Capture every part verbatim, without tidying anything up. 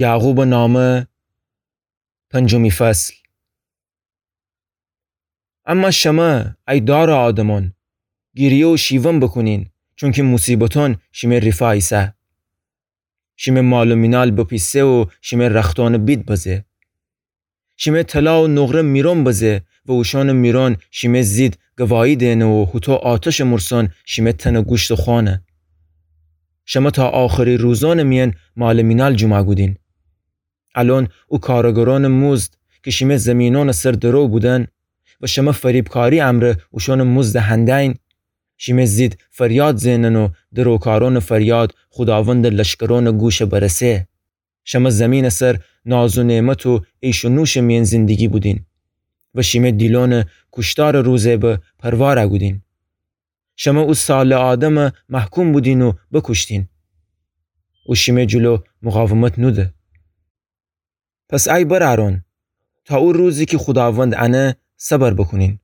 یعقوبٚ نامه، پنجمی فصل. اما شمه، ای دارٚ آدمأن، گیریه و شیون بوکونین، چونکی موصیبتأن شیمه ریفا ایسه. شیمه مال و مینال بپیسه و شیمه رختأنٚ بید بزه. شیمه طلا و نقره میرون بزه و اوشأنٚ میرون شیمه ضید گواهی دئنه و هوطو آتشٚ مورسون شیمه تنٚ گوشتٚ خوأنه. شمه تا آخری روزأنٚ میأن مال و مینال جوما کودین. الأن او کارگرأنٚ موزد کی شیمه زیمینأنٚ سر درو بودن و شمه فریبکاری امرأ اوشأنٚ موزد هندین، شیمه ضید فریاد زئنن و دروکارأنٚ فریاد خوداوندٚ لشکرأنٚ گوش برسه. شمه زیمینٚ سر ناز و نعمت و عیش و نوشٚ میأن زندگی بودین و شیمه دیلأنٚ کوشتارٚ روزه به پروا رأگودین. شمه او صالح آدم محکوم بودین و بوکوشتین. او شیمه جلو مقاومت نوده. پس ای برأرأن، تا او روزی کی خوداوند انه صبر بوکونین.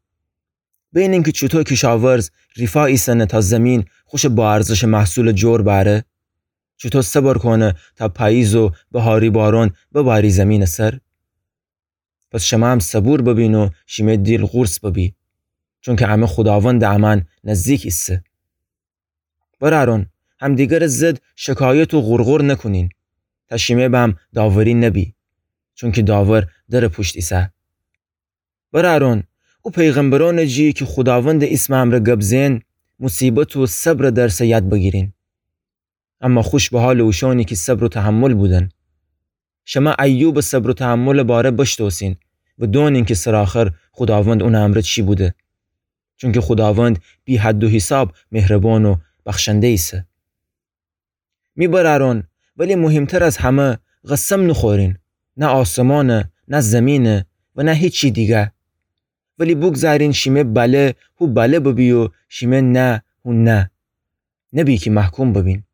بینین کی چوطو کیشاورز ریفا ایسنه تا زیمین خوشٚ باارزشٚ محصولٚ جور بأره، چوطو صبر کونه تا پاییز و بهاری بارون بباری زیمینٚ سر. پس شمه هم صبور ببین و شیمه دیل قورص ببی، چونکی امه خوداوندٚ امأن نزدیک ایسه. برأرأن، همدیگرٚ ضد شکایت و غورغور نوکونین، تا شیمه به هم داوری نبی، چونکی داور درٚ پوشت ایسه. برأرأن، او پیغمبرأنٚ جی کی خوداوندٚ ایسمٚ امرأ گب زئن، موصیبت و صبرٚ درسه یاد بگیرین. اما خوش به حالٚ اوشأنی کی صبر و تحمل بودن. شمه ایوبٚ صبر و تحملٚ باره بشتوسین و دونین کی سرآخر خوداوند اونٚ امرأ چی بوده. چونکی خوداوند بی‌حد و حساب مهربان و بخشنده ایسه. می برأرأن، ولی مهمتر از همه، قسم نوخورین، نه آسمانه، نه زیمینه و نه هیچی دیگه. ولی بوگذارین شیمه بله هو بله ببی و شیمه نه هو نه. نبی کی محکوم ببین.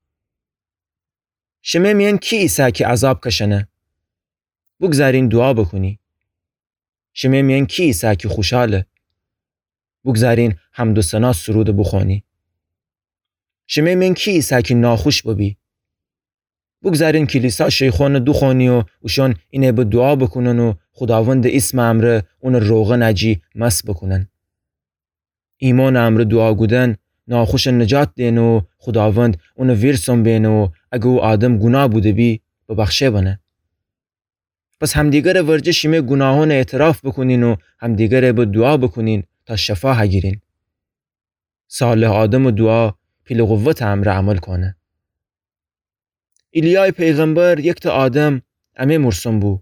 شمه میأن کی ایسه کی عذاب کشنه؟ بوگذارین دوعا بوکونی. شمه میأن کی ایسه کی خوشحاله؟ بوگذارین حمد و ثنا سروده بوخوأنی. شمه میأن کی ایسه کی ناخوش ببی؟ بوگذارین کلیسا شیخأنه دوخوأنی و اوشأن اینه به دوعا بوکونن و خوداوندٚ ایسمٚ امرأ اونٚ روغنٚ جی مس بوکونن. ایمانٚ امرأ دوعا کودن ناخوشه نجات دئنه و خوداوند اونٚ ویرسون بئنه و اگر او آدم گوناه بوده بی، ببخشه بنه. پس همدیگرٚ ورجه شیمه گوناهأنٚ اعتراف بوکونین و همدیگرٚ به دوعا بوکونین تا شفا هگیرین. صالح آدمٚ دوعا پیلٚ قوتٚ امرأ عمل کونه. ایلیایٚ پیغمبر یکته آدم امه مورسون بو.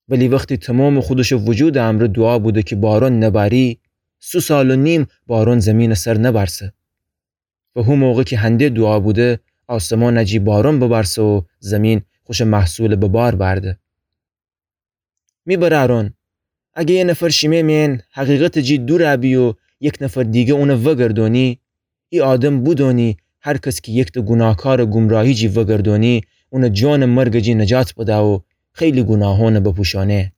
ولی وختی تومامٚ خودشٚ وجودٚ امرأ دوعا بوده کی بارون نباری، سه سال و نیم بارون زیمینٚ سر نبارسه. و هو موقع کی هنده دوعا بوده، آسمانٚ جی بارون ببارسه و زیمین خوشٚ محصولٚ به بار بأرده. می برأرون، اگه یه نفر شیمه مئن حقیقتٚ جی دورَ بی و یک نفر دیگه اونَ وگردونی، ای آدم بودونی هر کس کی یکته گوناهکارٚ گمراهی جی وگردونی، اونَ جانٚ مرگٚ جی نجات بده و خیلی گوناهونَ بپوشونه.